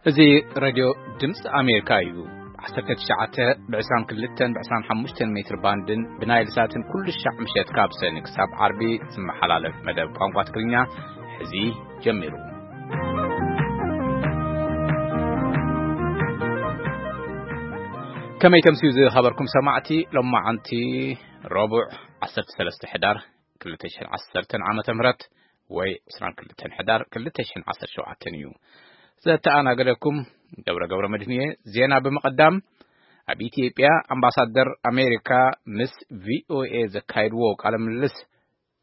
እዚ ሬድዮ ድምፂ ኣሜሪካ እዩ። ዓሰርተ ትሽዓተ ብ ዕስራን ክልተን ብ ዕስራን ሓሙሽተን ሜትር ባንድን ብናይል ሳትን ኩሉ ሻዕ ምሸት ካብ ሰኒ ክሳብ ዓርቢ ዝመሓላለፍ መደብ ቋንቋ ትግርኛ ሕዚ ጀሚሩ። ከመይ ተምስዩ ዝኸበርኩም ሰማዕቲ፣ ሎማዓንቲ ረቡዕ ዓሰርተ ሰለስተ ሕዳር ክልተ ሽሕን ዓሰርተን ዓመተ ምህረት ወይ ዕስራን ክልተን ሕዳር ክልተ ሽሕን ዓሰርተ ሸውዓተን እዩ። ዘተኣናገደኩም ገብረ ገብረ መድህን እየ። ዜና ብምቕዳም፣ ኣብ ኢትዮጵያ ኣምባሳደር ኣሜሪካ ምስ ቪኦኤ ዘካየድዎ ቃለ ምልልስ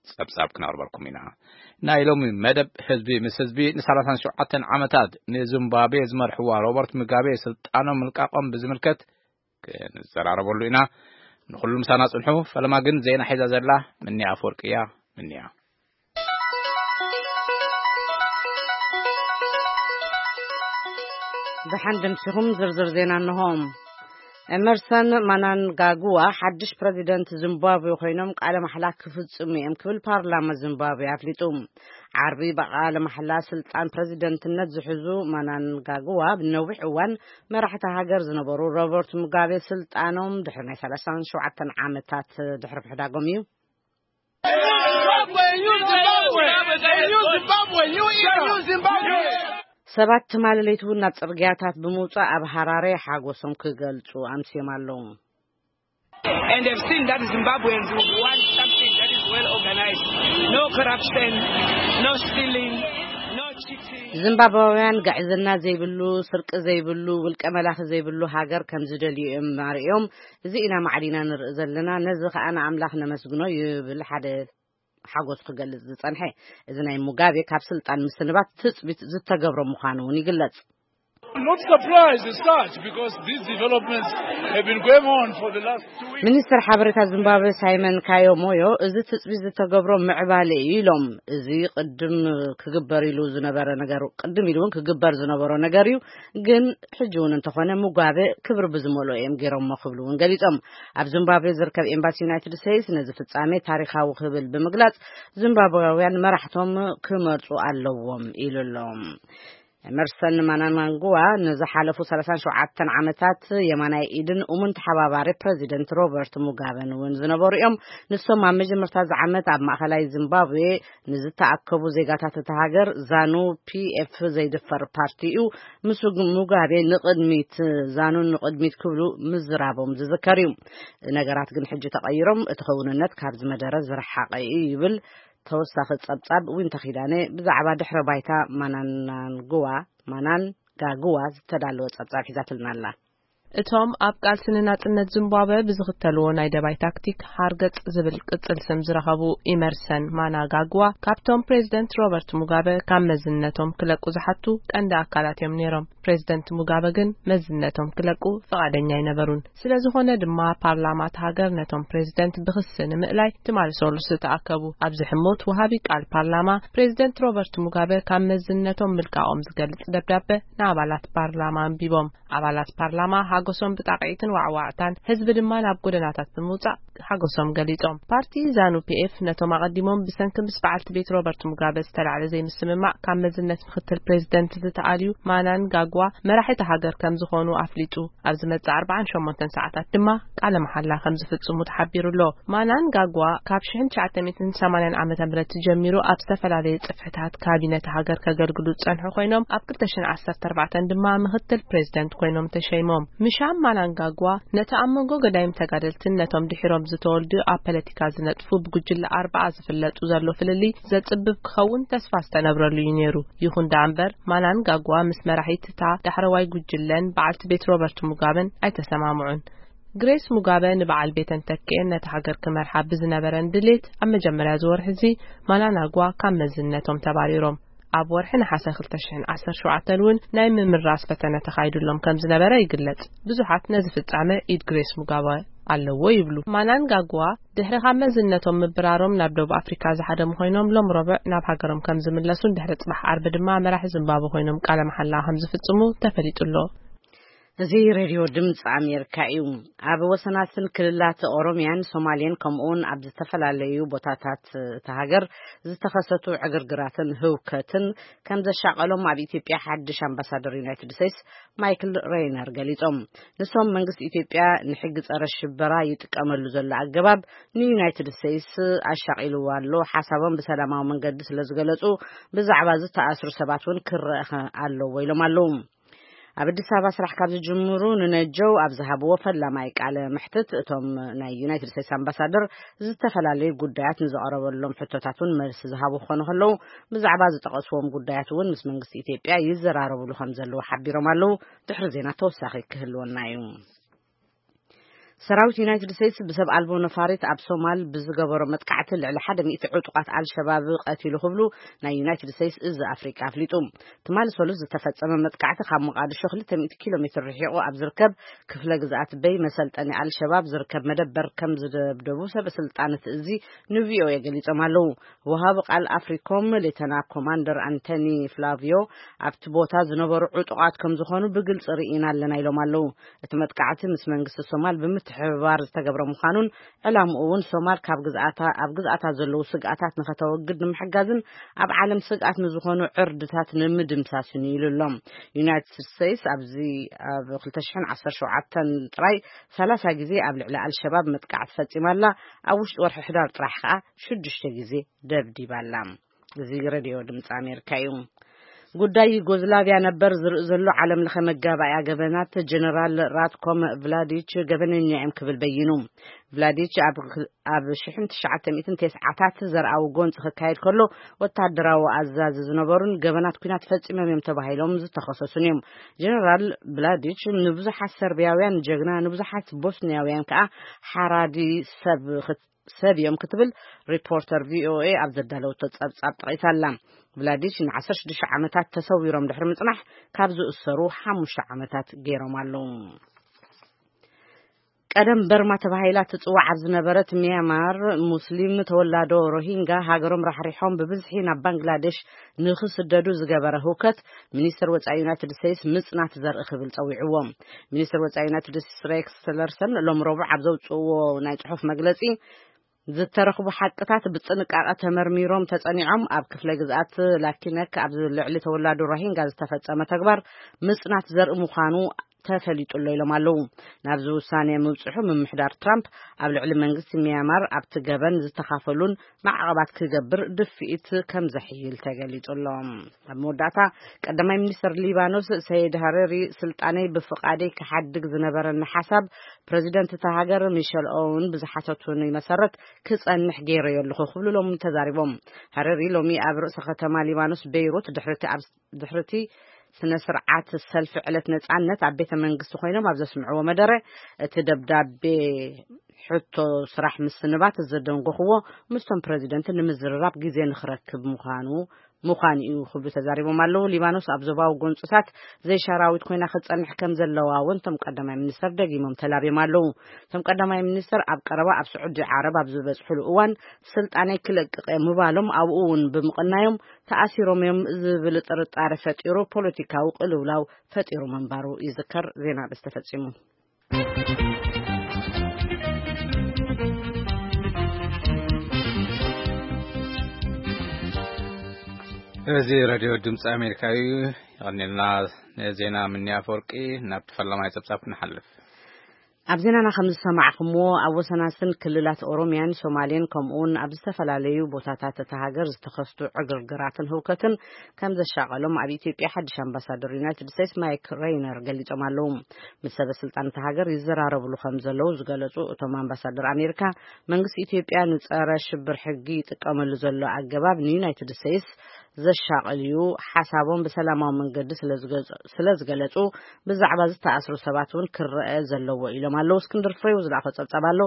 ጸብጻብ ክነቕርበልኩም ኢና። ናይ ሎሚ መደብ ህዝቢ ምስ ህዝቢ ንሰላሳን ሸውዓተን ዓመታት ንዚምባብዌ ዝመርሕዋ ሮበርት ሙጋቤ ስልጣኖም ምልቃቖም ብዝምልከት ክንዘራረበሉ ኢና። ንኹሉ ምሳና ጽንሑ። ፈለማ ግን ዜና ሒዛ ዘላ ምንያ ኣፈወርቂ እያ። ምንያ። ደሓን ደምሲኹም ዝርዝር ዜና እንሆ። ኤመርሰን ማናንጋጉዋ ሓድሽ ፕረዚደንት ዚምባብዌ ኮይኖም ቃለ ማሕላ ክፍጽሙ እዮም ክብል ፓርላማ ዚምባብዌ ኣፍሊጡ። ዓርቢ ብቃለ ማሕላ ስልጣን ፕረዚደንትነት ዝሕዙ ማናንጋጉዋ ብነዊሕ እዋን መራሕቲ ሃገር ዝነበሩ ሮበርት ሙጋቤ ስልጣኖም ድሕሪ ናይ ሰላሳን ሸውዓተን ዓመታት ድሕሪ ምሕዳጎም እዩ። ሰባት ትማሊ ለይቲ እውን ናብ ጽርግያታት ብምውጻእ ኣብ ሃራሬ ሓጎሶም ክገልጹ ኣምስዮም ኣለዉ። And they've seen that Zimbabweans would want something that is well organized. No corruption, no stealing, no cheating. ዚምባብያውያን ግዕዝና ዘይብሉ፣ ስርቂ ዘይብሉ፣ ውልቀ መላኺ ዘይብሉ ሃገር ከም ዝደልዩ እዮም ኣርእዮም። እዚ ኢና ማዕዲና ንርኢ ዘለና፣ ነዚ ኸኣ ንኣምላኽ ነመስግኖ ይብል ሓደ ሓጎሱ ክገልጽ ዝጸንሐ። እዚ ናይ ሙጋቤ ካብ ስልጣን ምስንባት ትጽቢት ዝተገብሮ ምዃኑ እውን ይግለጽ። I'm not surprised as such because these developments have been going on for the last two weeks. ሚኒስትር ሓበሬታ ዚምባብዌ ሳይመን ካዮ ሞዮ፣ እዚ ትጽቢት ዝተገብሮ ምዕባለ እዩ ኢሎም። እዚ ቅድም ክግበር ኢሉ ዝነበረ ነገር፣ ቅድም ኢሉ እውን ክግበር ዝነበሮ ነገር እዩ፣ ግን ሕጂ እውን እንተኾነ ሙጋበ ክብሪ ብዝመልኦ እዮም ገይሮሞ ክብሉ እውን ገሊጾም። ኣብ ዚምባብዌ ዝርከብ ኤምባሲ ዩናይትድ ስቴትስ ነዚ ፍጻሜ ታሪኻዊ ክብል ብምግላጽ፣ ዚምባብያውያን መራሕቶም ክመርጹ ኣለዎም ኢሉ ኣሎ። ኤመርሰን ማናንጋንጉዋ ንዝሓለፉ ሰላሳን ሸውዓተን ዓመታት የማናይ ኢድን እሙን ተሓባባሪ ፕረዚደንት ሮበርት ሙጋበን እውን ዝነበሩ እዮም። ንሶም ኣብ መጀመርታ እዚ ዓመት ኣብ ማእኸላይ ዚምባብዌ ንዝተኣከቡ ዜጋታት እታ ሃገር ዛኑ ፒኤፍ ዘይድፈር ፓርቲ እዩ። ምስ ሙጋቤ ንቕድሚት፣ ዛኑ ንቕድሚት ክብሉ ምዝራቦም ዝዝከር እዩ። ነገራት ግን ሕጂ ተቐይሮም፣ እቲ ክውንነት ካብዚ መደረ ዝረሓቐ እዩ ይብል ተወሳኺ ጸብጻብ ዊንታ ኪዳነ ብዛዕባ ድሕረ ባይታ ማናንጋንጉዋ፣ ማናንጋጉዋ ዝተዳለወ ጸብጻብ ሒዛትልና ኣላ። እቶም ኣብ ቃልሲ ንናጽነት ዚምባብወ ብዝኽተልዎ ናይ ደባይ ታክቲክ ሃርገጽ ዝብል ቅጽል ስም ዝረኸቡ ኢመርሰን ማናጋግዋ ካብቶም ፕሬዚደንት ሮበርት ሙጋበ ካብ መዝነቶም ክለቁ ዝሓቱ ቀንዲ ኣካላት እዮም ነይሮም። ፕሬዚደንት ሙጋበ ግን መዝነቶም ክለቁ ፍቓደኛ ኣይነበሩን። ስለ ዝኾነ ድማ ፓርላማ እታ ሃገር ነቶም ፕሬዚደንት ብኽሲ ንምእላይ ትማሊ ሰሉስ ተኣከቡ። ኣብዚ ሕሞት ወሃቢ ቃል ፓርላማ ፕሬዚደንት ሮበርት ሙጋበ ካብ መዝነቶም ምልቃቖም ዝገልጽ ደብዳበ ንኣባላት ፓርላማ ኣንቢቦም። ኣባላት ፓርላማ ሓጎሶም ብጣቕዒትን ዋዕዋዕታን፣ ህዝቢ ድማ ናብ ጎደናታት ብምውጻእ ሓጎሶም ገሊጾም። ፓርቲ ዛኑ ፒኤፍ ነቶም ኣቐዲሞም ብሰንኪ ምስ በዓልቲ ቤት ሮበርት ሙጋበ ዝተላዕለ ዘይምስምማዕ ካብ መዝነት ምክትል ፕሬዚደንት ዝተኣልዩ ማናንጋግዋ መራሒ እታ ሃገር ከም ዝኾኑ ኣፍሊጡ። ኣብ ዝመጽእ ኣርባዓን ሸሞንተን ሰዓታት ድማ ቃለ መሓላ ከም ዝፍጽሙ ተሓቢሩ ኣሎ። ማናንጋግዋ ካብ ሽሕን ትሽዓተ ሚእትን ሰማንያን ዓመተ ምህረት ጀሚሩ ኣብ ዝተፈላለየ ጽፍሕታት ካቢነት ሃገር ከገልግሉ ዝጸንሑ ኮይኖም፣ ኣብ ክልተ ሽሕን ዓሰርተ ኣርባዕተን ድማ ምክትል ፕሬዚደንት ኮይኖም ተሸይሞም። ምሻም ማናንጋግዋ ነቲ ኣብ መንጎ ገዳይም ተጋደልትን ነቶም ድሒሮም ዝተወልዱ ኣብ ፖለቲካ ዝነጥፉ ብጉጅለ ኣርባዓ ዝፍለጡ ዘሎ ፍልልይ ዘጽብብ ክኸውን ተስፋ ዝተነብረሉ እዩ ነይሩ። ይኹን ደኣ እምበር፣ ማናንጋግዋ ምስ መራሒት እታ ዳሕረዋይ ጉጅለን በዓልቲ ቤት ሮበርት ሙጋበን ኣይተሰማምዑን። ግሬስ ሙጋበ ንበዓል ቤተን ተኪኤን ነታ ሃገር ክመርሓ ብዝነበረን ድሌት፣ ኣብ መጀመርያ እዚ ወርሒ እዚ ማናናጓ ካብ መዝነቶም ተባሪሮም። ኣብ ወርሒ ነሓሰ ክልተ ሽሕን ዓሰርተ ሸውዓተን እውን ናይ ምምራጽ ፈተነ ተኻይዱሎም ከም ዝነበረ ይግለጽ። ብዙሓት ነዚ ፍጻመ ኢድ ግሬስ ሙጋበ ኣለዎ ይብሉ። ማናንጋግዋ ድሕሪ ካብ መዝነቶም ምብራሮም ናብ ደቡብ ኣፍሪካ ዝሃደሙ ኮይኖም፣ ሎም ረቡዕ ናብ ሃገሮም ከም ዝምለሱን ድሕሪ ጽባሕ ዓርቢ ድማ መራሒ ዚምባብወ ኮይኖም ቃለ መሓላ ከም ዝፍጽሙ ተፈሊጡ ኣሎ። እዚ ሬድዮ ድምፂ ኣሜሪካ እዩ። ኣብ ወሰናትን ክልላት ኦሮሚያን ሶማሌን ከምኡውን ኣብ ዝተፈላለዩ ቦታታት እታ ሃገር ዝተኸሰቱ ዕግርግራትን ህውከትን ከም ዘሻቐሎም ኣብ ኢትዮጵያ ሓድሽ ኣምባሳደር ዩናይትድ ስቴትስ ማይክል ሬይነር ገሊጾም። ንሶም መንግስቲ ኢትዮጵያ ንሕጊ ጸረ ሽበራ ይጥቀመሉ ዘሎ ኣገባብ ንዩናይትድ ስቴትስ ኣሻቒልዋ ኣሎ፣ ሓሳቦም ብሰላማዊ መንገዲ ስለ ዝገለጹ ብዛዕባ ዝተኣስሩ ሰባት እውን ክረአ ኣለዎ ኢሎም ኣለዉ። ኣብ ኣዲስ ኣበባ ስራሕ ካብ ዝጅምሩ ንነጀው ኣብ ዝሃብዎ ፈላማይ ቃለ መሕትት እቶም ናይ ዩናይትድ ስቴትስ ኣምባሳደር ዝተፈላለዩ ጉዳያት ንዝቐረበሎም ሕቶታት እውን መልሲ ዝሃቡ ክኾኑ ከለዉ ብዛዕባ ዝጠቐስዎም ጉዳያት እውን ምስ መንግስቲ ኢትዮጵያ ይዘራረብሉ ከም ዘለዉ ሓቢሮም ኣለዉ። ድሕሪ ዜና ተወሳኺ ክህልወና እዩ። ሰራዊት ዩናይትድ ስቴትስ ብሰብ ኣልቦ ነፋሪት ኣብ ሶማል ብዝገበሮ መጥቃዕቲ ልዕሊ ሓደ ሚእቲ ዕጡቓት ኣልሸባብ ቀቲሉ ክብሉ ናይ ዩናይትድ ስቴትስ እዚ ኣፍሪቃ ኣፍሊጡ። ትማሊ ሰሉስ ዝተፈጸመ መጥቃዕቲ ካብ ሞቃዲሾ ክልተ ሚእቲ ኪሎ ሜትር ርሒቑ ኣብ ዝርከብ ክፍለ ግዝኣት በይ መሰልጠኒ ኣልሸባብ ዝርከብ መደበር ከም ዝደብደቡ ሰበ ስልጣን እቲ እዚ ንቪኦኤ ገሊጾም ኣለዉ። ወሃቢ ቃል ኣፍሪኮም ሌተና ኮማንደር ኣንቶኒ ፍላቪዮ ኣብቲ ቦታ ዝነበሩ ዕጡቓት ከም ዝኾኑ ብግልጺ ርኢና ኣለና ኢሎም ኣለዉ። እቲ መጥቃዕቲ ምስ መንግስቲ ሶማል ብምትሕብባር ዝተገብረ ምዃኑን ዕላምኡ እውን ሶማል ካብ ግዝኣታ ኣብ ግዝኣታ ዘለዉ ስግኣታት ንኸተወግድ ንምሕጋዝን ኣብ ዓለም ስግኣት ንዝኾኑ ዕርድታት ንምድምሳስን እዩ ኢሉ ኣሎ። ዩናይትድ ስቴትስ ኣብዚ ኣብ ክልተ ሽሕን ዓሰርተ ሸውዓተን ጥራይ ሰላሳ ግዜ ኣብ ልዕሊ ኣልሸባብ መጥቃዕቲ ፈጺማ ኣላ። ኣብ ውሽጢ ወርሒ ሕዳር ጥራሕ ከኣ ሽዱሽተ ግዜ ደብዲባ ኣላ። እዚ ሬድዮ ድምፂ ኣሜሪካ እዩ። ጉዳይ ዩጎዝላቪያ ነበር ዝርኢ ዘሎ ዓለም ለኸ መጋባእያ ገበናት ጀነራል ራትኮም ቭላዲች ገበነኛ እዮም ክብል በይኑ። ቭላዲች ኣብ ኣብ ሽሕን ትሽዓተ ሚእትን ተስዓታት ዘርኣዊ ጎንፂ ክካየድ ከሎ ወታደራዊ ኣዛዚ ዝነበሩን ገበናት ኩናት ፈፂሞም እዮም ተባሂሎም ዝተኸሰሱን እዮም። ጀነራል ቭላዲች ንብዙሓት ሰርቢያውያን ጀግና፣ ንብዙሓት ቦስኒያውያን ከዓ ሓራዲ ሰብ ክት- ሰብ እዮም ክትብል ሪፖርተር ቪኦኤ ኣብ ዘዳለወቶ ጸብጻብ ጠቒሳ ኣላ። ቭላዲች ንዓሰርተ ሽዱሽተ ዓመታት ተሰዊሮም ድሕሪ ምጽናሕ ካብ ዝእሰሩ ሓሙሽተ ዓመታት ገይሮም ኣለዉ። ቀደም በርማ ተባሂላ ትጽዋዕ ኣብ ዝነበረት ሚያንማር ሙስሊም ተወላዶ ሮሂንጋ ሃገሮም ራሕሪሖም ብብዝሒ ናብ ባንግላዴሽ ንኽስደዱ ዝገበረ ህውከት ሚኒስትር ወጻኢ ዩናይትድ ስቴትስ ምጽናት ዘርኢ ክብል ጸዊዕዎ። ሚኒስትር ወጻኢ ዩናይትድ ስቴትስ ሬክስ ቲለርሰን ሎም ረቡዕ ኣብ ዘውጽእዎ ናይ ጽሑፍ መግለጺ ዝተረኽቡ ሓቅታት ብጥንቃቐ ተመርሚሮም ተጸኒዖም ኣብ ክፍለ ግዝኣት ላኪነክ ኣብ ልዕሊ ተወላዶ ሮሂንጋ ዝተፈጸመ ተግባር ምጽናት ዘርኢ ምዃኑ ተፈሊጡ ኣሎ ኢሎም ኣለዉ። ናብዚ ውሳኔ ምብጽሑ ምምሕዳር ትራምፕ ኣብ ልዕሊ መንግስቲ ሚያንማር ኣብቲ ገበን ዝተኻፈሉን ማዕቐባት ክገብር ድፍኢት ከም ዘሕይል ተገሊጹ ኣሎ። ኣብ መወዳእታ ቀዳማይ ሚኒስትር ሊባኖስ ሰይድ ሃረሪ ስልጣነይ ብፍቓደይ ክሓድግ ዝነበረኒ ሓሳብ ፕረዚደንት እታ ሃገር ሚሸል ኦውን ብዝሓተቱኒ መሰረት ክጸንሕ ገይረዮ ኣለኹ ክብሉ ሎሚ ተዛሪቦም። ሃረሪ ሎሚ ኣብ ርእሰ ከተማ ሊባኖስ ቤይሩት ድሕርቲ ኣብ ድሕርቲ ስነ ስርዓት ሰልፊ ዕለት ነጻነት ኣብ ቤተ መንግስቲ ኮይኖም ኣብ ዘስምዕዎ መደረ እቲ ደብዳቤ ሕቶ ስራሕ ምስንባት ዘደንጎኽዎ ምስቶም ፕረዚደንት ንምዝርራብ ግዜ ንኽረክብ ምዃኑ ምዃን እዩ ክብሉ ተዛሪቦም ኣለዉ። ሊባኖስ ኣብ ዞባዊ ጎንፅታት ዘይሻራዊት ኮይና ክትጸንሕ ከም ዘለዋ እውን እቶም ቀዳማይ ሚኒስተር ደጊሞም ተላብዮም ኣለዉ። እቶም ቀዳማይ ሚኒስተር ኣብ ቀረባ ኣብ ስዑዲ ዓረብ ኣብ ዝበጽሕሉ እዋን ስልጣነይ ክለቅቕ እየ ምባሎም ኣብኡ እውን ብምቕናዮም ተኣሲሮም እዮም ዝብል ጥርጣረ ፈጢሩ ፖለቲካዊ ቅልውላው ፈጢሩ ምንባሩ ይዝከር። ዜና ኣርእስቲ ተፈጺሙ። እዚ ሬድዮ ድምፂ ኣሜሪካ እዩ። ይቐንልና። ንዜና ምንያ ኣፈወርቂ። ናብቲ ፈላማይ ጸብጻብ ክንሓልፍ። ኣብ ዜናና ከም ዝሰማዕኹምዎ ኣብ ወሰናስን ክልላት ኦሮሚያን ሶማሌን ከምኡውን ኣብ ዝተፈላለዩ ቦታታት እታ ሃገር ዝተኸስቱ ዕግርግራትን ህውከትን ከም ዘሻቐሎም ኣብ ኢትዮጵያ ሓድሽ ኣምባሳደር ዩናይትድ ስቴትስ ማይክ ሬይነር ገሊጾም ኣለዉ። ምስ ሰበ ስልጣን እታ ሃገር ይዘራረብሉ ከም ዘለዉ ዝገለጹ እቶም ኣምባሳደር ኣሜሪካ መንግስቲ ኢትዮጵያ ንጸረ ሽብር ሕጊ ይጥቀመሉ ዘሎ ኣገባብ ንዩናይትድ ስቴትስ ዘሻቐል እዩ፣ ሓሳቦም ብሰላማዊ መንገዲ ስለ ዝገለጹ ብዛዕባ ዝተኣስሩ ሰባት እውን ክረአ ዘለዎ ኢሎም ኣለዉ። እስክንድር ፍሬው ዝለኣኾ ጸብጻብ ኣሎ።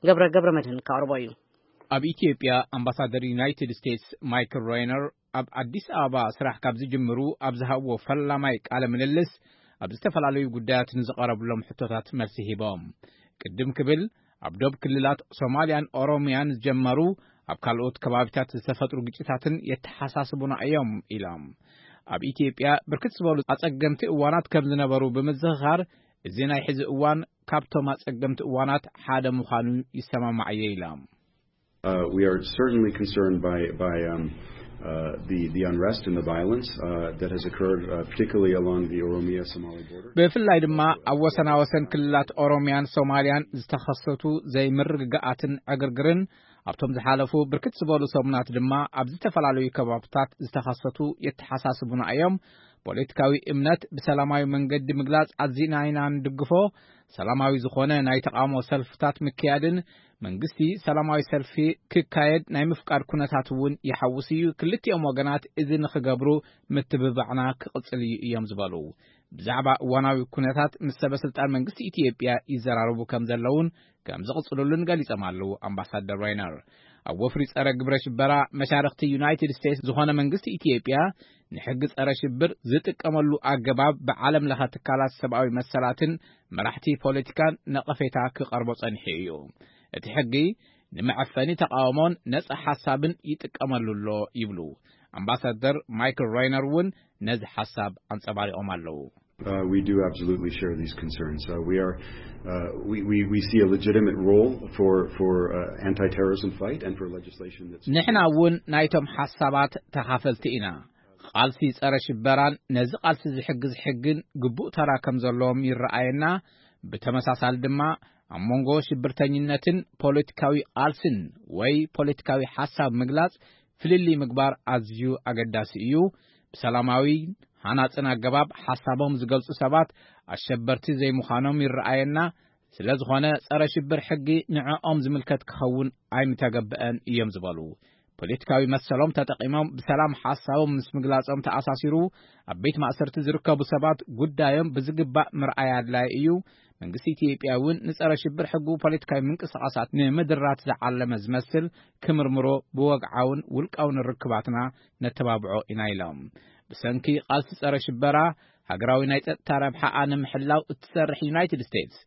ገብረ ገብረ መድህን ከቕርቦ እዩ። ኣብ ኢትዮጵያ ኣምባሳደር ዩናይትድ ስቴትስ ማይክል ሬይነር ኣብ ኣዲስ ኣበባ ስራሕ ካብ ዝጅምሩ ኣብ ዝሃብዎ ፈላማይ ቃለ ምልልስ ኣብ ዝተፈላለዩ ጉዳያት ንዝቐረብሎም ሕቶታት መልሲ ሂቦም። ቅድም ክብል ኣብ ዶብ ክልላት ሶማልያን ኦሮሚያን ዝጀመሩ ኣብ ካልኦት ከባቢታት ዝተፈጥሩ ግጭታትን የተሓሳስቡና እዮም ኢሎም። ኣብ ኢትዮጵያ ብርክት ዝበሉ ኣጸገምቲ እዋናት ከም ዝነበሩ ብምዝኽኻር እዚ ናይ ሕዚ እዋን ካብቶም ኣጸገምቲ እዋናት ሓደ ምዃኑ ይሰማማዕ እየ ኢላ። Uh, we are certainly concerned by, by um, uh, the, the unrest and the violence uh, that has occurred, uh, particularly along the Oromia-Somali border. ብፍላይ ድማ ኣብ ወሰናወሰን ክልላት ኦሮሚያን ሶማልያን ዝተኸሰቱ ዘይምርግጋኣትን ዕግርግርን ኣብቶም ዝሓለፉ ብርክት ዝበሉ ሰሙናት ድማ ኣብ ዝተፈላለዩ ከባብታት ዝተኸሰቱ የተሓሳስቡና እዮም። ፖለቲካዊ እምነት ብሰላማዊ መንገዲ ምግላጽ ኣዚና ኢና ንድግፎ። ሰላማዊ ዝኾነ ናይ ተቓውሞ ሰልፍታት ምክያድን መንግስቲ ሰላማዊ ሰልፊ ክካየድ ናይ ምፍቃድ ኩነታት እውን ይሓውስ እዩ። ክልቲኦም ወገናት እዚ ንኽገብሩ ምትብባዕና ክቕጽል እዩ እዮም ዝበሉ። ብዛዕባ እዋናዊ ኩነታት ምስ ሰበ ስልጣን መንግስቲ ኢትዮጵያ ይዘራረቡ ከም ዘለውን ከም ዝቕጽሉሉን ገሊጾም ኣለዉ ኣምባሳደር ራይነር። ኣብ ወፍሪ ጸረ ግብረ ሽበራ መሻርኽቲ ዩናይትድ ስቴትስ ዝኾነ መንግስቲ ኢትዮጵያ ንሕጊ ጸረ ሽብር ዝጥቀመሉ ኣገባብ ብዓለም ለኸ ትካላት ሰብኣዊ መሰላትን መራሕቲ ፖለቲካን ነቐፌታ ክቐርቦ ጸኒሑ እዩ። እቲ ሕጊ ንመዐፈኒ ተቓውሞን ነጻ ሓሳብን ይጥቀመሉ ኣሎ ይብሉ ኣምባሳደር ማይክል ራይነር እውን ነዚ ሓሳብ ኣንጸባሪቖም ኣለዉ። Uh, we do absolutely share these concerns. Uh, we are, uh, we, we, we see a legitimate role for, for uh, anti-terrorism fight and for legislation that's ንሕና እውን ናይቶም ሓሳባት ተኻፈልቲ ኢና። ቃልሲ ጸረ ሽበራን ነዚ ቃልሲ ዝሕግዝ ሕግን ግቡእ ተራ ከም ዘለዎም ይረኣየና። ብተመሳሳሊ ድማ ኣብ መንጎ ሽብርተኝነትን ፖለቲካዊ ቃልስን ወይ ፖለቲካዊ ሓሳብ ምግላጽ ፍልልይ ምግባር ኣዝዩ ኣገዳሲ እዩ። ብሰላማዊ ሃናጽን ኣገባብ ሓሳቦም ዝገልጹ ሰባት ኣሸበርቲ ዘይምዃኖም ይረኣየና። ስለ ዝኾነ ጸረ ሽብር ሕጊ ንዕኦም ዝምልከት ክኸውን ኣይምተገብአን እዮም ዝበሉ። ፖለቲካዊ መሰሎም ተጠቒሞም ብሰላም ሓሳቦም ምስ ምግላጾም ተኣሳሲሩ ኣብ ቤት ማእሰርቲ ዝርከቡ ሰባት ጉዳዮም ብዝግባእ ምርኣይ ኣድላይ እዩ። መንግስቲ ኢትዮጵያ እውን ንጸረ ሽብር ሕጉ ፖለቲካዊ ምንቅስቓሳት ንምድራት ዝዓለመ ዝመስል ክምርምሮ ብወግዓውን ውልቃውን ርክባትና ነተባብዖ ኢና ኢሎም። ብሰንኪ ቃልሲ ጸረ ሽበራ ሃገራዊ ናይ ጸጥታ ረብሓኣ ንምሕላው እትሰርሕ ዩናይትድ ስቴትስ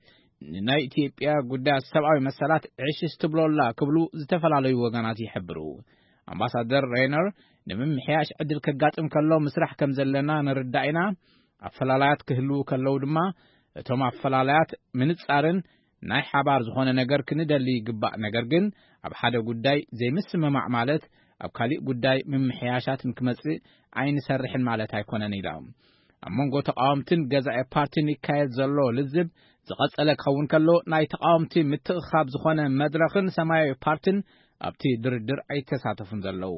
ንናይ ኢትዮጵያ ጉዳያት ሰብኣዊ መሰላት ዕሽሽ ትብሎ ኣላ ክብሉ ዝተፈላለዩ ወገናት ይሕብሩ። ኣምባሳደር ሬይነር ንምምሕያሽ ዕድል ከጋጥም ከሎ ምስራሕ ከም ዘለና ንርዳእ ኢና። ኣፈላላያት ክህልዉ ከለዉ ድማ እቶም ኣፈላላያት ምንጻርን ናይ ሓባር ዝኾነ ነገር ክንደሊ ይግባእ። ነገር ግን ኣብ ሓደ ጉዳይ ዘይምስምማዕ ማለት ኣብ ካሊእ ጉዳይ ምምሕያሻት ንክመጽእ ኣይንሰርሕን ማለት ኣይኮነን ኢሎም። ኣብ መንጎ ተቃወምትን ገዛኢ ፓርቲን ይካየድ ዘሎ ልዝብ ዝቐጸለ ክኸውን ከሎ ናይ ተቃወምቲ ምትእኻብ ዝኾነ መድረኽን ሰማያዊ ፓርቲን ኣብቲ ድርድር ኣይተሳተፉን ዘለዉ።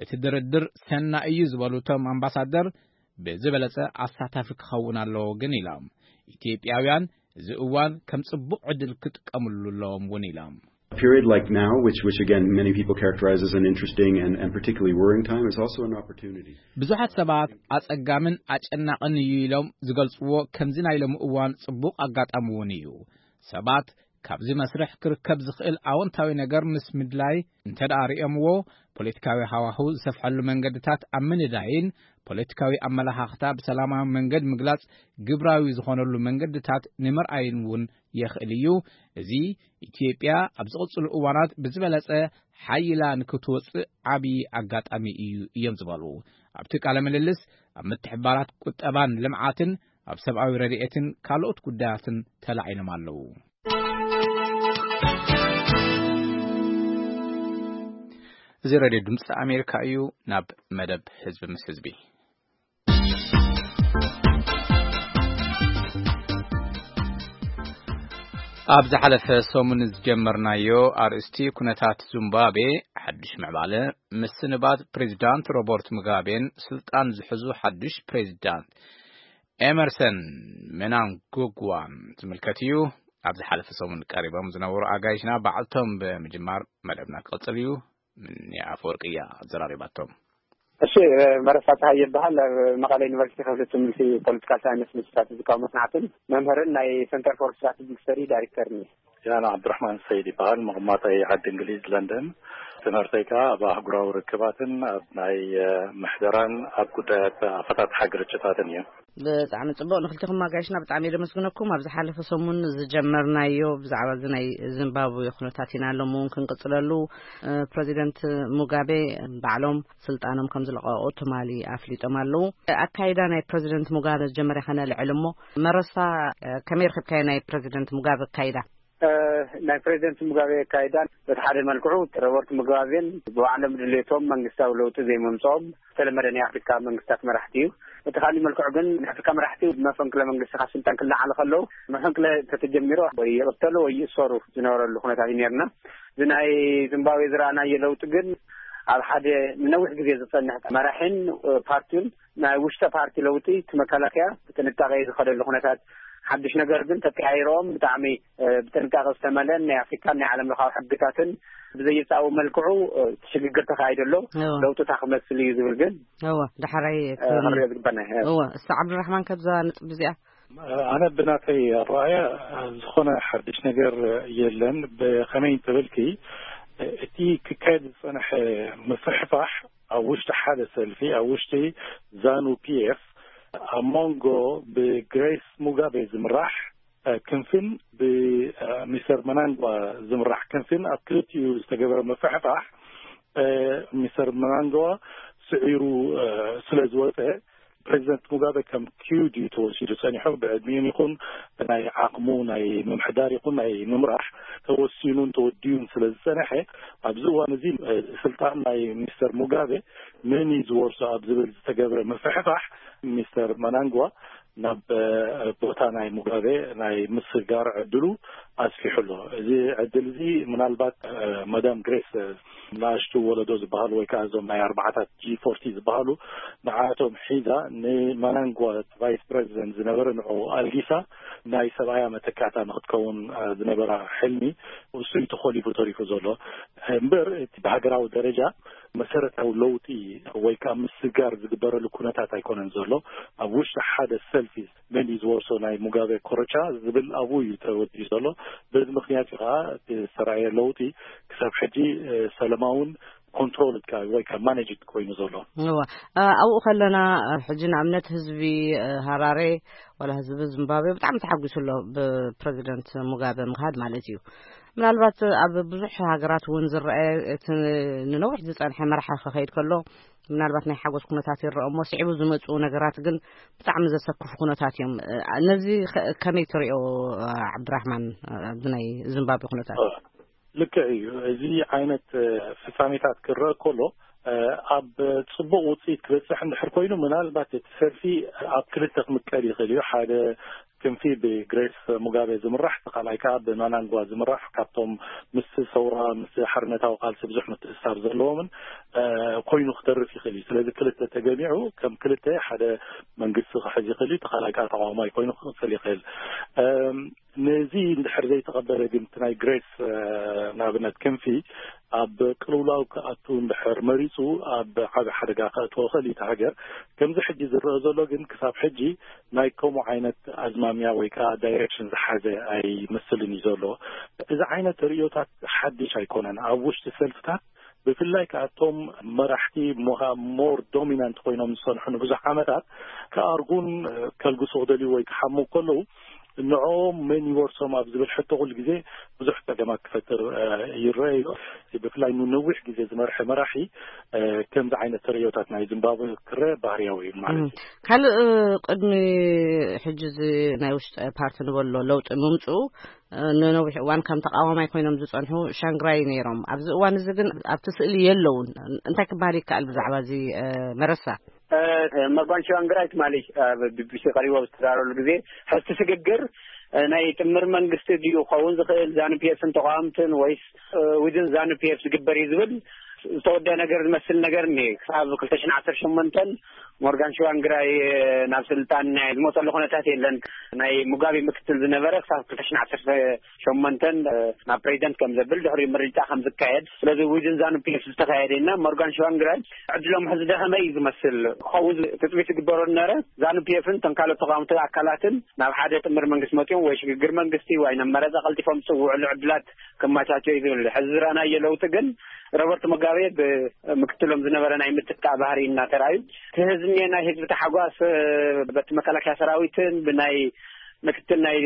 እቲ ድርድር ሰና እዩ ዝበሉ እቶም ኣምባሳደር ብዝበለጸ ኣሳታፊ ክኸውን ኣለዎ ግን ኢሎም። ኢትዮጵያውያን እዚ እዋን ከም ጽቡቕ ዕድል ክጥቀምሉ ኣለዎም እውን ኢሎም። A period like now, which, which again many people characterize as an interesting and, and particularly worrying time, is also an opportunity. ብዙሓት ሰባት ኣጸጋምን ኣጨናቕን እዩ ኢሎም ዝገልጽዎ ከምዚ ናይ ሎሚ እዋን ጽቡቕ ኣጋጣሚ እውን እዩ። ሰባት ካብዚ መስርሕ ክርከብ ዝኽእል ኣወንታዊ ነገር ምስ ምድላይ እንተ ደኣ ርእዮምዎ ፖለቲካዊ ሃዋህው ዝሰፍሐሉ መንገድታት ኣብ ምንዳይን ፖለቲካዊ ኣመለኻኽታ ብሰላማዊ መንገድ ምግላጽ ግብራዊ ዝኾነሉ መንገድታት ንምርኣይን እውን የኽእል እዩ። እዚ ኢትዮጵያ ኣብ ዝቕጽሉ እዋናት ብዝበለጸ ሓይላ ንክትወጽእ ዓብዪ ኣጋጣሚ እዩ እዮም ዝበሉ። ኣብቲ ቃለ ምልልስ ኣብ ምትሕባራት ቁጠባን ልምዓትን ኣብ ሰብኣዊ ረድኤትን ካልኦት ጉዳያትን ተላዒሎም ኣለዉ። እዚ ሬድዮ ድምፂ ኣሜሪካ እዩ። ናብ መደብ ህዝቢ ምስ ህዝቢ ኣብ ዝሓለፈ ሰሙን ዝጀመርናዮ ኣርእስቲ ኩነታት ዚምባብዌ ሓድሽ ምዕባለ፣ ምስንባት ፕሬዚዳንት ሮበርት ሙጋቤን ስልጣን ዝሕዙ ሓድሽ ፕሬዚዳንት ኤመርሰን ምናንጉግዋን ዝምልከት እዩ። ኣብ ዝሓለፈ ሰሙን ቀሪቦም ዝነበሩ ኣጋይሽና ባዕልቶም ብምጅማር መደብና ክቕጽል እዩ። ምንያ ኣፈወርቂ እያ ኣዘራሪባቶም። እሺ፣ መረሳ ፀሃይ ይበሃል። ኣብ መቐለ ዩኒቨርሲቲ ክፍሊ ትምህርቲ ፖለቲካል ሳይንስ ምስ ስትራቴጂካዊ መፅናዕትን መምህርን ናይ ሰንተር ፎር ስትራቴጂክ ስተዲ ዳይሬክተርን እየ። ያና ዓብዱራሕማን ሰይድ ይበሃል። መቐማጠይ ዓዲ እንግሊዝ ለንደን። ትምህርተይ ከኣ ኣብ ኣህጉራዊ ርክባትን ኣብ ናይ ምሕደራን ኣብ ጉዳያት ኣፈታትሓ ግርጭታትን እዩ። ብጣዕሚ ጽቡቕ። ንክልቲኹም ኣጋይሽና ብጣዕሚ እየ ደመስግነኩም። ኣብ ዝሓለፈ ሰሙን ዝጀመርናዮ ብዛዕባ እዚ ናይ ዚምባብዌ ኩነታት ኢና ሎም እውን ክንቅጽለሉ። ፕረዚደንት ሙጋቤ ባዕሎም ስልጣኖም ከም ዝለቐቑ ትማሊ ኣፍሊጦም ኣለዉ። ኣካይዳ ናይ ፕረዚደንት ሙጋቤ ዝጀመረ ከነልዕል እሞ፣ መረሳ፣ ከመይ ረኺብካዮ ናይ ፕረዚደንት ሙጋቤ ኣካይዳ? ናይ ፕሬዚደንት ሙጋቤ ኣካይዳ በቲ ሓደ መልክዑ ሮበርት ሙጋቤን ብባዕሎም ድሌቶም መንግስታዊ ለውጢ ዘይምምፅኦም ዝተለመደ ናይ ኣፍሪካ መንግስታት መራሕቲ እዩ። እቲ ካሊእ መልክዑ ግን ናይ ኣፍሪካ መራሕቲ ብመፈንቅለ መንግስቲ ካብ ስልጣን ክለዓሉ ከለዉ፣ መፈንቅለ ተተጀሚሩ ወይ ይቕተሉ ወይ ይእሰሩ ዝነበረሉ ኩነታት እዩ ነርና። እዚ ናይ ዚምባብዌ ዝረኣናዮ ለውጢ ግን ኣብ ሓደ ንነዊሕ ግዜ ዝፀንሕ መራሒን ፓርቲን ናይ ውሽጠ ፓርቲ ለውጢ እቲ መከላከያ ብጥንቃቄ ዝኸደሉ ኩነታት ሓድሽ ነገር ግን ተቀያይሮም ብጣዕሚ ብጥንቃቄ ዝተመለን ናይ ኣፍሪካን ናይ ዓለም ለኻዊ ሕግታትን ብዘየጻው መልክዑ ሽግግር ተካይዶ ኣሎ። ለውጥታ ክመስል እዩ ዝብል ግን እወ፣ ዳሕራይ ክሪኦ ዝግባና። እወ፣ እስቲ ዓብዱራሕማን፣ ከብዛ ነጥብ እዚኣ ኣነ ብናተይ ኣረኣያ ዝኾነ ሓድሽ ነገር የለን። ብኸመይ እንተበልኪ፣ እቲ ክካየድ ዝጸንሐ ምፍሕፋሕ ኣብ ውሽጢ ሓደ ሰልፊ፣ ኣብ ውሽጢ ዛኑ ፒኤፍ፣ ኣብ መንጎ ብግሬስ ሙጋቤ ዝምራሕ ክንፍን ብሚስተር መናንጓ ዝምራሕ ክንፍን ኣብ ክልቲኡ ዝተገበረ ምፍሕፋሕ፣ ሚስተር መናንጓ ስዒሩ ስለ ዝወፀ፣ ፕሬዚደንት ሙጋበ ከም ኪዩድ እዩ ተወሲዱ ጸኒሑ። ብዕድሚኡን ይኹን ብናይ ዓቕሙ ናይ ምምሕዳር ይኹን ናይ ምምራሕ ተወሲኑን ተወዲኡን ስለ ዝጸንሐ፣ ኣብዚ እዋን እዚ ስልጣን ናይ ሚስተር ሙጋበ መን እዩ ዝወርሶ ኣብ ዝብል ዝተገብረ ምፍሕፋሕ፣ ሚስተር መናንጓ ናብ ቦታ ናይ ሙጋበ ናይ ምስጋር ዕድሉ ኣስፊሑ ኣሎ። እዚ ዕድል እዚ ምናልባት መዳም ግሬስ ንኣሽቱ ወለዶ ዝበሃሉ ወይ ከዓ እዞም ናይ ኣርባዓታት ጂ ፎርቲ ዝበሃሉ ንዓቶም ሒዛ ንማናንጓ ቫይስ ፕሬዚደንት ዝነበረ ንዑ ኣልጊሳ ናይ ሰብኣያ መተካእታ ንክትከውን ዝነበራ ሕልሚ እሱ እዩ ተኾሊፉ ተሪፉ ዘሎ። እምበር እቲ ብሃገራዊ ደረጃ መሰረታዊ ለውጢ ወይ ከዓ ምስጋር ዝግበረሉ ኩነታት ኣይኮነን ዘሎ። ኣብ ውሽጢ ሓደ ሰልፊ መን እዩ ዝወርሶ ናይ ሙጋበ ኮረቻ ዝብል ኣብኡ እዩ ተወዲኡ ዘሎ። በዚ ምክንያት እዩ ከዓ እቲ ዝተረኣየ ለውጢ ክሳብ ሕጂ ሰለማውን ኮንትሮል ወይ ከዓ ማኔጅ ኮይኑ ዘሎ። እወ፣ ኣብኡ ከለና ሕጂ ንኣብነት ህዝቢ ሃራሬ ዋላ ህዝቢ ዚምባብዌ ብጣዕሚ ተሓጒሱ ኣሎ ብፕረዚደንት ሙጋበ ምኻድ ማለት እዩ። ምናልባት ኣብ ብዙሕ ሃገራት እውን ዝረአ እቲ ንነዊሕ ዝፀንሐ መራሒ ክኸይድ ከሎ ምናልባት ናይ ሓጎስ ኩነታት ይረአ እሞ ስዒቡ ዝመፅኡ ነገራት ግን ብጣዕሚ ዘሰክፉ ኩነታት እዮም። ነዚ ከመይ ትሪኦ ዓብድራሕማን፣ ኣብዚ ናይ ዚምባብዌ ኩነታት? ልክዕ እዩ። እዚ ዓይነት ፍጻሜታት ክረአ ከሎ ኣብ ጽቡቕ ውጽኢት ክበጽሕ እንድሕር ኮይኑ ምናልባት እቲ ሰልፊ ኣብ ክልተ ክምቀል ይኽእል እዩ። ሓደ ክንፊ ብግሬስ ሙጋቤ ዝምራሕ፣ እቲ ካልኣይ ከዓ ብማናንጓ ዝምራሕ፣ ካብቶም ምስ ሰውራ ምስ ሓርነታዊ ቃልሲ ብዙሕ ምትእስሳር ዘለዎምን ኮይኑ ክተርፍ ይኽእል እዩ። ስለዚ ክልተ ተገሚዑ ከም ክልተ ሓደ መንግስቲ ክሕዝ ይኽእል እዩ። እቲ ካልኣይ ከዓ ተቃዋማይ ኮይኑ ክቕጽል ይኽእል። ነዚ እንድሕር ዘይተቐበለ ግን እቲ ናይ ግሬስ ንኣብነት ክንፊ ኣብ ቅልውላው ክኣቱ እንድሕር መሪፁ ኣብ ዓቢ ሓደጋ ከእትዎ ይኽእል እዩ እቲ ሃገር። ከምዚ ሕጂ ዝረአ ዘሎ ግን ክሳብ ሕጂ ናይ ከምኡ ዓይነት ኣዝማሚያ ወይ ከዓ ዳይሬክሽን ዝሓዘ ኣይመስልን እዩ ዘሎ። እዚ ዓይነት ርእዮታት ሓድሽ ኣይኮነን ኣብ ውሽጢ ሰልፍታት ብፍላይ ከኣቶም መራሕቲ ሞር ዶሚናንት ኮይኖም ዝፀንሑ ንብዙሕ ዓመታት ክኣርጉን ከልግሱ ክደልዩ ወይ ክሓሙ ከለዉ ንዕኦም መን ይወርሶም ኣብ ዝብል ሕቶ ኩሉ ግዜ ብዙሕ ፀገማት ክፈጥር ይረአ እዩ። ብፍላይ ንነዊሕ ግዜ ዝመርሐ መራሒ ከምዚ ዓይነት ተርእዮታት ናይ ዚምባብዌ ክረአ ባህርያዊ እዩ ማለት እዩ። ካልእ ቅድሚ ሕጂ እዚ ናይ ውሽጢ ፓርቲ ንበሎ ለውጢ ምምፅኡ ንነዊሕ እዋን ከም ተቃዋማይ ኮይኖም ዝፀንሑ ሻንግራይ ነይሮም። ኣብዚ እዋን እዚ ግን ኣብቲ ስእሊ የለውን። እንታይ ክበሃል ይከኣል ብዛዕባ እዚ መረሳ? መርጓን ሸዋንግራይ ትማሊ ኣብ ቢቢሲ ቀሪቦ ዝተዛረበሉ ግዜ ሕዝቲ ስግግር ናይ ጥምር መንግስቲ ድዩ ክኸውን ዝኽእል ዛኑ ፒኤፍን ተቃዋምትን ወይስ ዊድን ዛኑ ፒኤፍ ዝግበር እዩ ዝብል ዝተወደአ ነገር ዝመስል ነገር እኒሄ። ክሳብ ክልተ ሽሕን ዓሰርተ ሸሞንተን ሞርጋን ሽዋንግራይ ናብ ስልጣን ናይ ዝመፀሉ ኩነታት የለን። ናይ ሙጋቤ ምክትል ዝነበረ ክሳብ ክልተ ሽሕን ዓሰርተ ሸሞንተን ናብ ፕሬዚደንት ከም ዘብል ድሕሪኡ ምርጫ ከም ዝካየድ ስለዚ ዊድን ዛኑ ፒኤፍ ዝተካየደ እና ሞርጋን ሽዋንግራይ ዕድሎም ሕዚ ደኸመ እዩ ዝመስል። ክኸውን ትፅቢት ዝግበሮ ዝነበረ ዛኑ ፒኤፍን እቶም ካልኦት ተቃወምቲ ኣካላትን ናብ ሓደ ጥምር መንግስቲ መፂኦም ወይ ሽግግር መንግስቲ ወይ ናብ መረፃ ቀልጢፎም ዝፅውዕሉ ዕድላት ክመቻቸው እዩ ዝብል። ሕዚ ዝረኣናዮ ለውጢ ግን ሮበርት ሙጋቤ ብምክትሎም ዝነበረ ናይ ምትካእ ባህሪ እናተራእዩ፣ እቲ ህዝቢ፣ ናይ ህዝቢ ተሓጓስ በቲ መከላከያ ሰራዊትን ብናይ ምክትል ናይ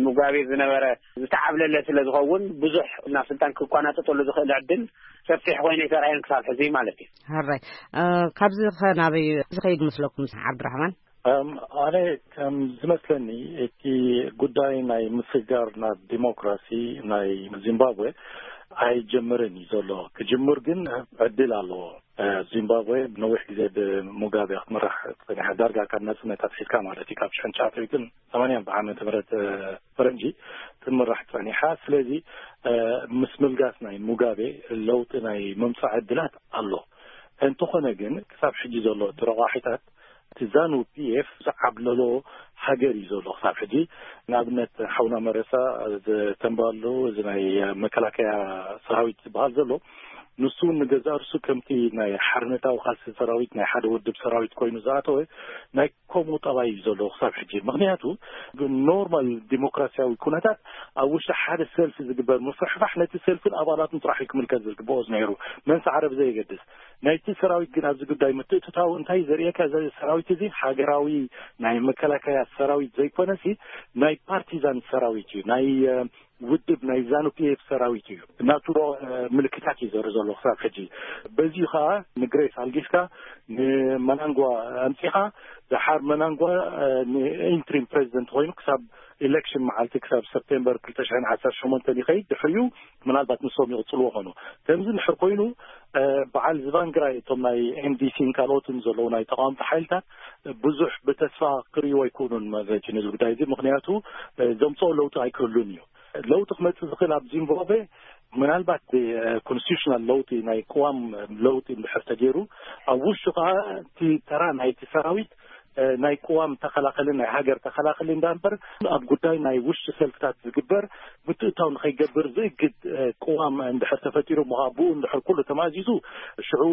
ሙጋቤ ዝነበረ ዝተዓብለለ ስለ ዝኸውን፣ ብዙሕ ናብ ስልጣን ክቋናጠጠሉ ዝኽእል ዕድል ሰፊሕ ኮይኑ ኣይተራእየን ክሳብ ሕዚ ማለት እዩ። ሕራይ፣ ካብዚ ኸ ናበይ ዝኸይድ ምስለኩም? ዓብድራሕማን። ኣነ ከም ዝመስለኒ፣ እቲ ጉዳይ ናይ ምስጋር ናብ ዲሞክራሲ ናይ ዚምባብዌ ኣይጀምርን እዩ ዘሎ። ክጅምር ግን ዕድል ኣለዎ። ዚምባብዌ ነዊሕ ግዜ ብሙጋቤ ክትምራሕ ጸኒሓ፣ ዳርጋ ካብ ናጽነት ኣትሒዝካ ማለት እዩ፣ ካብ ሽሕን ትሽዓተ ሚእትን ሰማንያን ብዓመተ ምህረት ፈረንጂ ትምራሕ ጸኒሓ። ስለዚ ምስ ምልጋስ ናይ ሙጋቤ ለውጢ ናይ ምምጻእ ዕድላት ኣሎ። እንተኾነ ግን ክሳብ ሕጂ ዘሎ እቲ ረቋሒታት፣ እቲ ዛኑ ፒኤፍ ዝዓብለሎ ሃገር እዩ ዘሎ ክሳብ ሕጂ። ንኣብነት ሓውና መረሳ ዝተንባሉ እዚ ናይ መከላከያ ሰራዊት ዝበሃል ዘሎ፣ ንሱ እውን ንገዛእ ርሱ ከምቲ ናይ ሓርነታዊ ቃልሲ ሰራዊት፣ ናይ ሓደ ውድብ ሰራዊት ኮይኑ ዝኣተወ ናይ ከምኡ ጠባይ እዩ ዘሎ ክሳብ ሕጂ። ምክንያቱ ኖርማል ዲሞክራሲያዊ ኩነታት ኣብ ውሽጢ ሓደ ሰልፊ ዝግበር ምፍሕፋሕ ነቲ ሰልፍን ኣባላቱን ጥራሕ እዩ ክምልከት ዝግብኦ ነይሩ፣ መንስ ዓረብ ዘየገድስ። ናይቲ ሰራዊት ግን ኣብዚ ጉዳይ ምትእትታው እንታይ ዘርእየካ፣ እዚ ሰራዊት እዚ ሃገራዊ ናይ መከላከያ ሰራዊት ዘይኮነሲ ናይ ፓርቲዛን ሰራዊት እዩ፣ ናይ ውድብ ናይ ዛኑ ፒኤፍ ሰራዊት እዩ። ናቱ ምልክታት እዩ ዘርኢ ዘሎ ክሳብ ሕጂ። በዚዩ ከዓ ንግሬስ ኣልጊስካ፣ ንመናንጓ ኣምፂኻ፣ ደሓር መናንጓ ንኢንትሪም ፕሬዚደንት ኮይኑ ክሳብ ኢሌክሽን መዓልቲ፣ ክሳብ ሰፕቴምበር ክልተ ሽሕን ዓሰርተ ሸሞንተን ይኸይድ። ድሕሪኡ ምናልባት ንሶም ይቕፅልዎ ኾኑ። ከምዚ እንድሕር ኮይኑ በዓል ዝቫንግራይ፣ እቶም ናይ ኤምዲሲን ካልኦትን ዘለዉ ናይ ተቃወምቲ ሓይልታት ብዙሕ ብተስፋ ክርእይዎ ኣይክእሉን ማለት እዩ ነዚ ጉዳይ እዚ። ምክንያቱ ዘምፅኦ ለውጢ ኣይክህሉን እዩ። ለውጢ ክመፅእ ዝኽእል ኣብ ዚምባብዌ ምናልባት ኮንስቲቱሽናል ለውጢ፣ ናይ ቅዋም ለውጢ እንድሕር ተገይሩ፣ ኣብ ውሽጡ ከዓ እቲ ተራ ናይቲ ሰራዊት ናይ ቅዋም ተኸላኸሊ፣ ናይ ሃገር ተኸላኸሊ እንዳንበር፣ ኣብ ጉዳይ ናይ ውሽጢ ሰልፍታት ዝግበር ምትእታው ንኸይገብር ዝእግድ ቅዋም እንድሕር ተፈጢሩ፣ ብኡ እንድሕር ኩሉ ተማእዚዙ፣ ሽዑ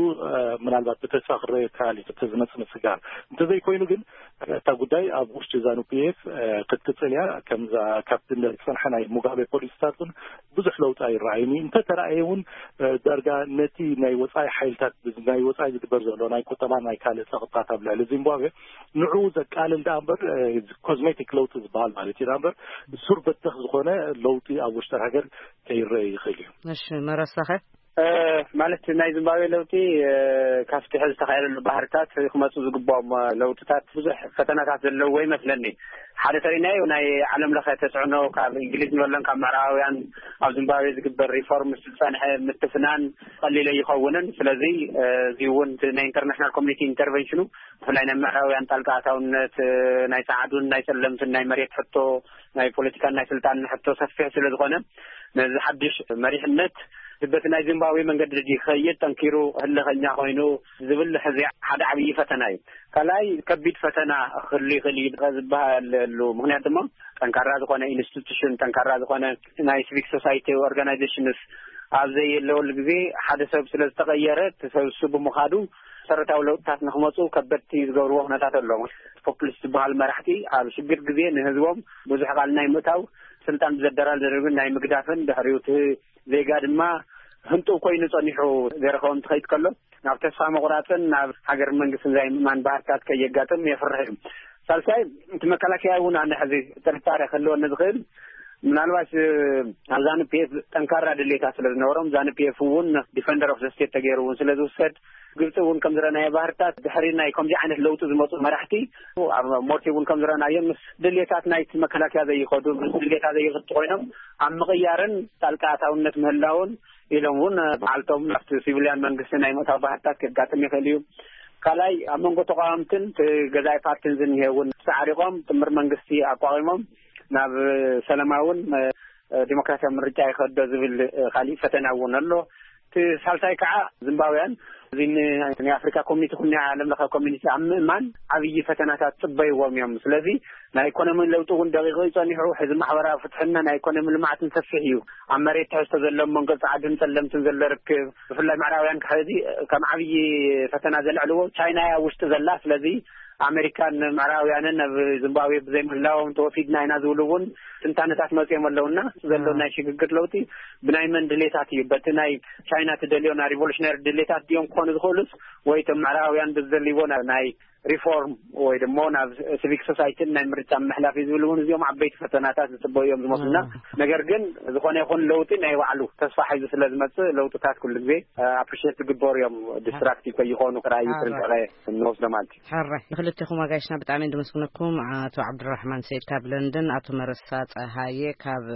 ምናልባት ብተስፋ ክረአ ይከኣል እዩ። እቲ ዝመፅእ ምስጋር እንተዘይኮይኑ ግን፣ እታ ጉዳይ ኣብ ውሽጢ ዛኑ ፒኤፍ ክትቅፅል እያ። ከምዛ ካብቲ ዝፀንሐ ናይ ሙጋቤ ፖሊሲታት እውን ብዙሕ ለውጢ ኣይረኣይን እዩ። እንተተረኣየ እውን ዳርጋ ነቲ ናይ ወፃኢ ሓይልታት፣ ናይ ወፃኢ ዝግበር ዘሎ ናይ ቁጠባ፣ ናይ ካልእ ፀቕጥታት ኣብ ልዕሊ ዚምባብዌ ንዕኡ ዘቃልል ደኣ እምበር፣ ኮዝሜቲክ ለውጢ ዝበሃል ማለት እዩ ደኣ እምበር፣ ሱር በተኽ ዝኾነ ለውጢ ኣብ ውሽጢ ሃገር ከይረአ ይኽእል እዩ። እሺ፣ መረሳኸ? ማለት ናይ ዚምባብዌ ለውጢ ካብቲ ሕዚ ዝተኻየደሉ ባህርታት ክመፁ ዝግባኦም ለውጥታት ብዙሕ ፈተናታት ዘለዎ ይመስለኒ። ሓደ ተሪናዮ ናይ ዓለም ለኸ ተፅዕኖ ካብ እንግሊዝ ንበለን ካብ ምዕራባውያን ኣብ ዚምባብዌ ዝግበር ሪፎርም ዝፀንሐ ምትፍናን ቀሊል ኣይኸውንን። ስለዚ እዚ እውን ናይ ኢንተርናሽናል ኮሚኒቲ ኢንተርቨንሽኑ፣ ብፍላይ ናይ ምዕራባውያን ጣልቃ ኣታውነት፣ ናይ ፃዕዱን ናይ ፀለምትን ናይ መሬት ሕቶ፣ ናይ ፖለቲካን ናይ ስልጣን ሕቶ ሰፊሕ ስለ ዝኾነ፣ ነዚ ሓድሽ መሪሕነት በቲ ናይ ዚምባብዌ መንገዲ ድዩ ክኸይድ፣ ጠንኪሩ ህልኸኛ ኮይኑ ዝብል ሕዚ ሓደ ዓብዪ ፈተና እዩ። ካልኣይ ከቢድ ፈተና ክህሉ ይኽእል እዩ ዝበሃለሉ ምክንያት ድማ፣ ጠንካራ ዝኾነ ኢንስቲቱሽን፣ ጠንካራ ዝኾነ ናይ ሲቪክ ሶሳይቲ ኦርጋናይዜሽንስ ኣብ ዘየለወሉ ግዜ፣ ሓደ ሰብ ስለ ዝተቐየረ፣ እቲ ሰብ እሱ ብምኻዱ መሰረታዊ ለውጥታት ንክመፁ ከበድቲ ዝገብርዎ ኩነታት ኣሎ። ፖፑሊስት ዝበሃል መራሕቲ ኣብ ሽግር ግዜ ንህዝቦም ብዙሕ ቃል ናይ ምእታው፣ ስልጣን ብዘደራል ዘደርግን ናይ ምግዳፍን፣ ድሕሪኡ እቲ ዜጋ ድማ ህንጡው ኮይኑ ጸኒሑ ዘይረኸቦም ትኸይድ ከሎ፣ ናብ ተስፋ ምቑራጽን ናብ ሃገር መንግስትን ዘይምእማን ባህርታት ከየጋጥም የፍርሕ እዩ። ሳልሳይ፣ እቲ መከላከያ እውን ኣነ ሕዚ ጥርጣረ ክህልወኒ ዝኽእል፣ ምናልባት ኣብ ዛኑ ፒኤፍ ጠንካራ ድሌታት ስለ ዝነበሮም፣ ዛኑ ፒኤፍ እውን ዲፈንደር ኦፍ ዘ ስቴት ተገይሩ እውን ስለ ዝውሰድ፣ ግብፂ እውን ከም ዝረኣናዮ ባህርታት ድሕሪ ናይ ከምዚ ዓይነት ለውጢ ዝመፁ መራሕቲ ኣብ ሞርሲ እውን ከም ዝረኣናዮ ምስ ድሌታት ናይቲ መከላከያ ዘይኸዱ፣ ምስ ድሌታ ዘይኽቱ ኮይኖም ኣብ ምቕያርን ጣልቃ ኣታውነት ምህላውን ኢሎም እውን በዓልቶም ናብቲ ሲቪልያን መንግስቲ ናይ ምእታው ባህርታት ከጋጥም ይኽእል እዩ። ካልኣይ፣ ኣብ መንጎ ተቃወምትን እቲ ገዛኢ ፓርቲን ዝኒሄ እውን ተዓሪቆም ጥምር መንግስቲ ኣቋቂሞም ናብ ሰላማውን ዲሞክራሲያዊ ምርጫ ይኸዶ ዝብል ካሊእ ፈተና እውን ኣሎ። እቲ ሳልሳይ ከዓ ዚምባብያን እዚ ን-፣ ናይ ኣፍሪካ ኮሚኒቲ ኩን ናይ ዓለም ለኸ ኮሚኒቲ ኣብ ምእማን ዓብዪ ፈተናታት ፅበይዎም እዮም። ስለዚ ናይ ኢኮኖሚ ለውጢ እውን ደቂቑ እዩ ፀኒሑ። ሕዚ ማሕበራዊ ፍትሕና ናይ ኢኮኖሚ ልምዓትን ሰፊሕ እዩ። ኣብ መሬት ትሕዝቶ ዘለዎም መንጎ ፃዕድን ፀለምትን ዘሎ ርክብ፣ ብፍላይ ምዕራባውያን ሕዚ ከም ዓብዪ ፈተና ዘልዕልዎ ቻይና እያ ኣብ ውሽጢ ዘላ። ስለዚ ኣሜሪካን ምዕራባውያንን ኣብ ዚምባብዌ ብዘይምህላዎም ተወፊድና ኢና ዝብሉ እውን ትንታነታት መፅኦም ኣለውና። ዘሎ ናይ ሽግግር ለውጢ ብናይ መን ድሌታት እዩ? በቲ ናይ ቻይና ትደልዮ ናይ ሪቮሉሽነሪ ድሌታት ድዮም ክኾኑ ዝኽእሉስ፣ ወይ እቶም ምዕራባውያን ብዝደልይዎ ናይ ሪፎርም ወይ ደሞ ናብ ሲቪክ ሶሳይቲን ናይ ምርጫ ምሕላፍ እዩ ዝብል እውን፣ እዚኦም ዓበይቲ ፈተናታት ዝፅበዩ እዮም ዝመስሉና። ነገር ግን ዝኾነ ይኹን ለውጢ ናይ ባዕሉ ተስፋ ሒዙ ስለ ዝመፅእ፣ ለውጥታት ኩሉ ግዜ ኣፕሪሼት ዝግበሩ እዮም። ዲስትራክቲቭ ከይኾኑ ራእዩ ጥንቃቄ እንወስዶ ማለት እዩ። ሕራይ ንክልቴኹም ኣጋይሽና ብጣዕሚ እንድመስግነኩም። ኣቶ ዓብዱራሕማን ሰይድ ካብ ለንደን፣ ኣቶ መረሳ ፀሃየ ካብ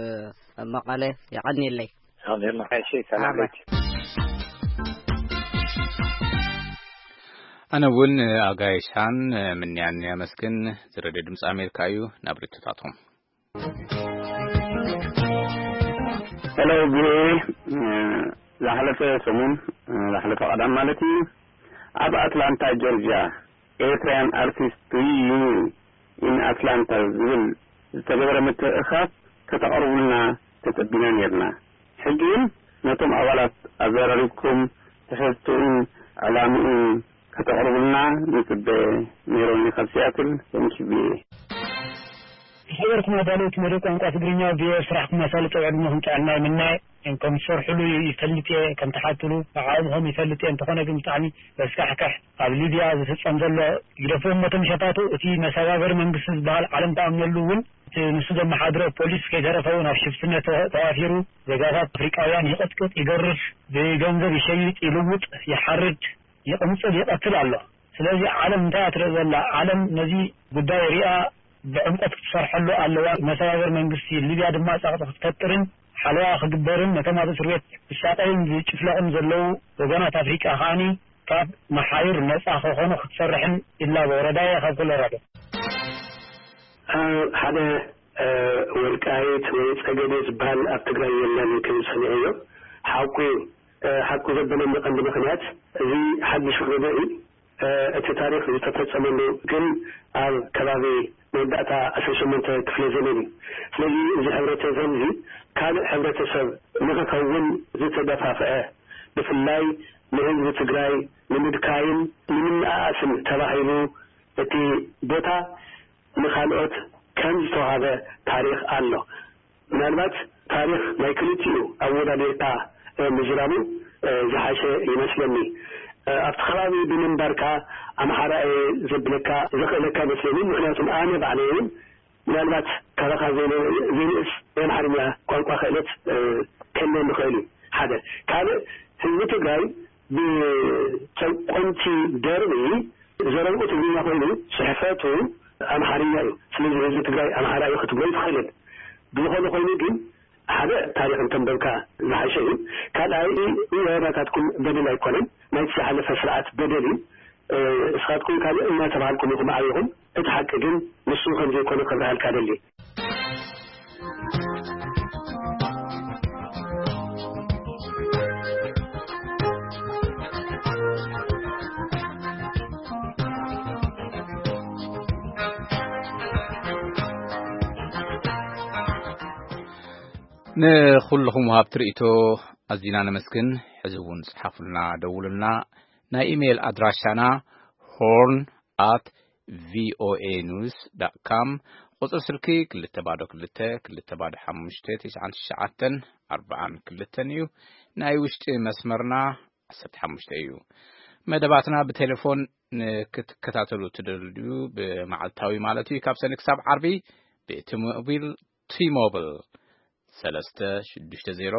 መቐለ። የቐንየለይ። ሰላም። እሺ፣ ሰላም። ኣነ እውን ኣጋይሻን ምንያን የመስግን። ዝረድዮ ድምፂ ኣሜሪካ እዩ። ናብ ርትታቶም። ሄሎ፣ ቪኦኤ። ዝሓለፈ ሰሙን፣ ዝሓለፈ ቀዳም ማለት እዩ፣ ኣብ ኣትላንታ ጆርጂያ፣ ኤርትራያን ኣርቲስት ሪዩኒየን ኢን ኣትላንታ ዝብል ዝተገበረ ምትእኻብ ከተቕርቡልና ተጸቢና ኔርና። ሕጂ ግን ነቶም ኣባላት ኣዘራሪብኩም ትሕዝትኡን ዕላምኡን ከተቕርቡልና ንጽበ። ሜሮኒ ካብ ሲያትል። Thank you ቪኦኤ። ዝኸበርኩም ኣዳለውቲ መደብ ቋንቋ ትግርኛ ቪኦኤ፣ ስራሕኩም ኣሳልጦ ዕድመኹም ጥዕና ይምነ። ከም ትሰርሕሉ ይፈልጥ እየ፣ ከም ትሓትሉ ንዓኹም ይፈልጥ እየ። እንተኾነ ግን ብጣዕሚ ዘስካሕክሕ ኣብ ሊብያ ዝፍጸም ዘሎ ግደፍዎም ነቶም ሸፋቱ። እቲ መሰጋገሪ መንግስቲ ዝበሃል ዓለም ትኣምነሉ እውን እቲ ንሱ ዘመሓድሮ ፖሊስ ከይተረፈ እውን ኣብ ሽፍትነት ተዋፊሩ ዜጋታት ኣፍሪቃውያን ይቕጥቅጥ፣ ይገርፍ፣ ብገንዘብ ይሸይጥ፣ ይልውጥ፣ ይሓርድ፣ ይቕንጽል፣ ይቐትል ኣሎ። ስለዚ ዓለም እንታይ እያ ትርኢ ዘላ? ዓለም ነዚ ጉዳይ ሪኣ ብዕምቆት ክትሰርሐሉ ኣለዋ። መሰጋገሪ መንግስቲ ሊብያ ድማ ጸቕጢ ክትፈጥርን ሓለዋ ክግበርን ነቶም ኣብ እስር ቤት ዝሳቐዩን ዝጭፍለቑን ዘለዉ ወገናት ኣፍሪቃ ከኣኒ ካብ መሓዩር ነጻ ክኾኑ ክትሰርሕን ይላቦ። ረዳየ ካብ ኮሎራዶ። ሓደ ወልቃይት ወይ ጸገዴ ዝበሃል ኣብ ትግራይ የለን ክብል ሰሚዐዮ። ሓቁ እዩ። ሓቁ ዘበለኒ ቀንዲ ምኽንያት እዚ ሓድሽ ውህደት እዩ። እቲ ታሪኽ ዝተፈጸመሉ ግን ኣብ ከባቢ መወዳእታ ዓሰርተ ሸሞንተ ክፍለ ዘመን እዩ። ስለዚ እዚ ሕብረተሰብ እዚ ካልእ ሕብረተሰብ ንኽኸውን ዝተደፋፍዐ፣ ብፍላይ ንህዝቢ ትግራይ ንምድካይን ንምንእኣስን ተባሂሉ እቲ ቦታ ንኻልኦት ከም ዝተዋህበ ታሪኽ ኣሎ። ምናልባት ታሪኽ ናይ ክልቲኡ ኣወዳዲርካ ምዝራቡ ዝሓሸ ይመስለኒ። ኣብቲ ከባቢ ብምንባርካ ኣምሓራ እየ ዘብለካ ዘኽእለካ ኣይመስለንን። ምኽንያቱም ኣነ ባዕለይ እውን ምናልባት ካባኻ ዘይንእስ ናይ ኣምሓርኛ ቋንቋ ክእለት ክህልወኒ ይኽእል እዩ። ሓደ። ካልእ ህዝቢ ትግራይ ብጨቆንቲ ደርቢ ዘረብኡ ትግርኛ ኮይኑ ጽሕፈቱ ኣምሓርኛ እዩ። ስለዚ ህዝቢ ትግራይ ኣምሓራ እዩ ክትብሎ ኣይትኽእልን። ብዝኾነ ኮይኑ ግን ሓደ ታሪኽ እንተንበብካ ዝሓሸ እዩ። ካልኣይ እወ ናታትኩም በደል ኣይኮነን፣ ናይቲ ዝሓለፈ ስርዓት በደል እዩ። እስኻትኩም ካልእ እናተባሃልኩም ኢኹም ዓቢኹም። እቲ ሓቂ ግን ንሱ ከም ዘይኮነ ከብርሃልካ ደሊ። ንኹልኹም ወሃብቲ ርእይቶ ኣዚና ነመስግን። ሕዚ እውን ጽሓፉልና፣ ደውሉልና። ናይ ኢሜይል ኣድራሻና ሆርን ኣት ቪኦኤ ኒውስ ዳት ካም፣ ቁጽሪ ስልኪ ክልተ ባዶ ክልተ ክልተ ባዶ ሓሙሽተ ትሽዓን ትሽዓተን ኣርባዓን ክልተን እዩ። ናይ ውሽጢ መስመርና ዓሰርተ ሓሙሽተ እዩ። መደባትና ብቴሌፎን ንክትከታተሉ ትደልዩ፣ ብመዓልታዊ ማለት እዩ፣ ካብ ሰኒ ክሳብ ዓርቢ ብቲ ሞቢል፣ ቲ ሞብል ሰለስተ ሽዱሽተ ዜሮ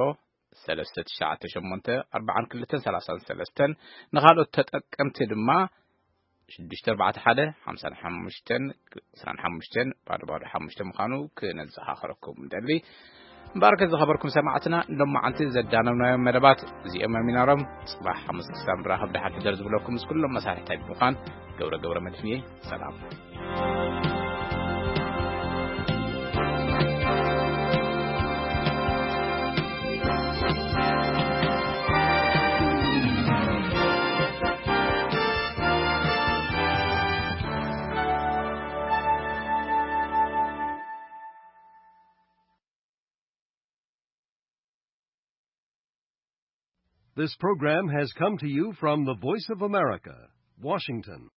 ሰለስተ ትሽዓተ ሸሞንተ ኣርባዓን ክልተን ሰላሳን ሰለስተን፣ ንኻልኦት ተጠቀምቲ ድማ ሽዱሽተ ኣርባዕተ ሓደ ሓምሳን ሓሙሽተን ዕስራን ሓሙሽተን ባዶ ባዶ ሓሙሽተ ምዃኑ ክነዘኻኽረኩም ንደሊ። እምበኣርከ ዝኸበርኩም ሰማዕትና፣ ሎማዓንቲ ዘዳለብናዮም መደባት እዚኦም እዮም ነይሮም። ጽባሕ ሓሙስ ክሳብ ንራኸብ ደሓን ሕደር ዝብለኩም ምስ ኩሎም መሳርሕታይ ብምዃን ገብረ ገብረ መድህን እየ። ሰላም። This program has come to you from the Voice of America, Washington.